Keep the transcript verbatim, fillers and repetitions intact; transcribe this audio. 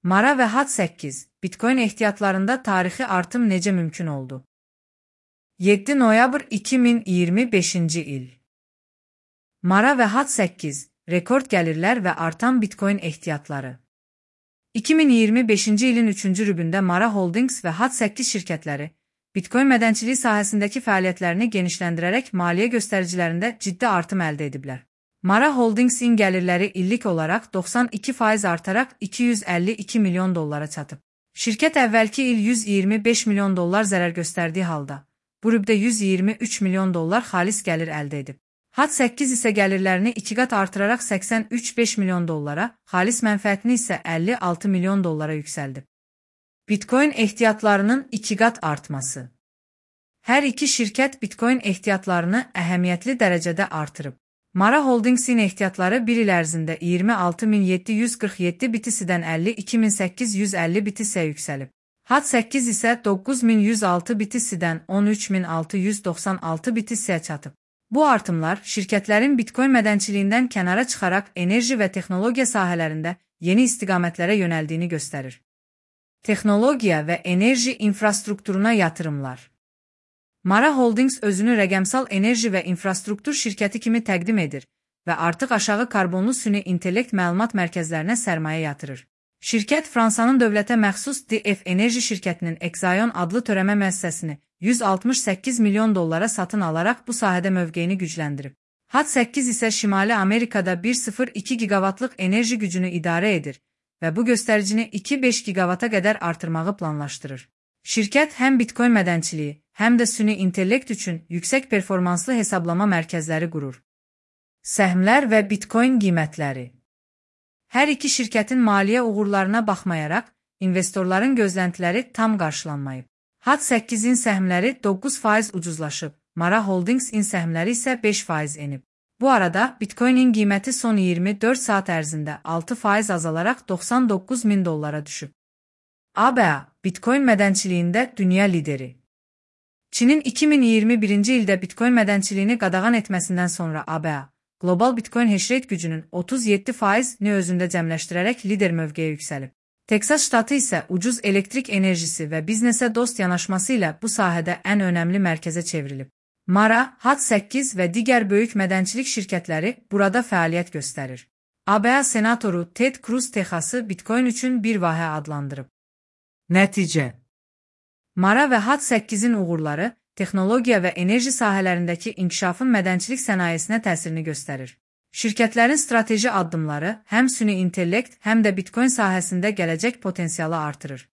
Mara ve Hat səkkiz, Bitcoin ehtiyatlarında tarixi artım necə mümkün oldu? yeddi noyabr iki min iyirmi beşinci il. Mara ve Hat səkkiz, rekord gəlirlər və artan Bitcoin ehtiyatları. iki min iyirmi beşinci ilin üçüncü rübündə Mara Holdings və Hat səkkiz şirkətləri, Bitcoin mədənçiliyi sahəsindəki fəaliyyətlərini genişləndirərək maliyyə göstəricilərində ciddi artım əldə ediblər. Mara Holdings'in gəlirləri illik olaraq doxsan iki faiz artaraq iki yüz əlli iki milyon dollara çatıb. Şirkət əvvəlki il yüz iyirmi beş milyon dollar zərər göstərdiyi halda, bu rübdə yüz iyirmi üç milyon dollar xalis gəlir əldə edib. Hat səkkiz isə gəlirlərini iki qat artıraraq səksən üç beş milyon dollara, xalis mənfəətini isə əlli altı milyon dollara yüksəldib. Bitcoin ehtiyatlarının iki qat artması. Hər iki şirkət Bitcoin ehtiyatlarını əhəmiyyətli dərəcədə artırıb. Mara Holdings'in ehtiyatları bir il ərzində iyirmi altı min yeddi yüz qırx yeddi bitisidən əlli iki min səkkiz yüz əlli bitisiyə yüksəlib. Hat səkkiz isə doqquz min yüz altı bitisidən on üç min altı yüz doxsan altı bitisiyə çatıb. Bu artımlar şirkətlərin Bitcoin mədənçiliyindən kənara çıxaraq enerji və texnologiya sahələrində yeni istiqamətlərə yönəldiyini göstərir. Texnologiya və enerji infrastrukturuna yatırımlar. Mara Holdings özünü rəqəmsal enerji və infrastruktur şirkəti kimi təqdim edir və artıq aşağı karbonlu süni intellekt məlumat mərkəzlərinə sərmayə yatırır. Şirkət Fransanın dövlətə məxsus D F Enerji şirkətinin Exaion adlı törəmə müəssisəsini yüz altmış səkkiz milyon dollara satın alaraq bu sahədə mövqeyini gücləndirib. Hat səkkiz isə Şimali Amerikada bir nöqtə sıfır iki gigavatlıq enerji gücünü idarə edir və bu göstəricini iki nöqtə beş gigavata qədər artırmağı planlaşdırır. Şirkət həm Bitcoin mədənçiliyi, həm də süni intellekt üçün yüksək performanslı hesablama mərkəzləri qurur. Səhmlər və Bitcoin qiymətləri. Hər iki şirkətin maliyyə uğurlarına baxmayaraq, investorların gözləntiləri tam qarşılanmayıb. Hat səkkizin səhmləri doqquz faiz ucuzlaşıb, Mara Holdings'in səhmləri isə beş faiz enib. Bu arada Bitcoin'in qiyməti son iyirmi dörd saat ərzində altı faiz azalaraq doxsan doqquz min dollara düşüb. A B A, Bitcoin mədənçiliyində dünya lideri. Çinin iki min iyirmi birinci ildə Bitcoin mədənçiliyini qadağan etməsindən sonra A B A, qlobal Bitcoin hashrate gücünün otuz yeddi faizini özündə cəmləşdirərək lider mövqeyə yüksəlib. Teksas ştatı isə ucuz elektrik enerjisi və biznesə dost yanaşması ilə bu sahədə ən önəmli mərkəzə çevrilib. Mara, Hat səkkiz və digər böyük mədənçilik şirkətləri burada fəaliyyət göstərir. A B A senatoru Ted Cruz Texası Bitcoin üçün bir vahə adlandırıb. Nəticə. Mara və Hat səkkizin uğurları, texnologiya və enerji sahələrindəki inkişafın mədənçilik sənayesinə təsirini göstərir. Şirkətlərin strateji addımları həm süni intellekt, həm də Bitcoin sahəsində gələcək potensialı artırır.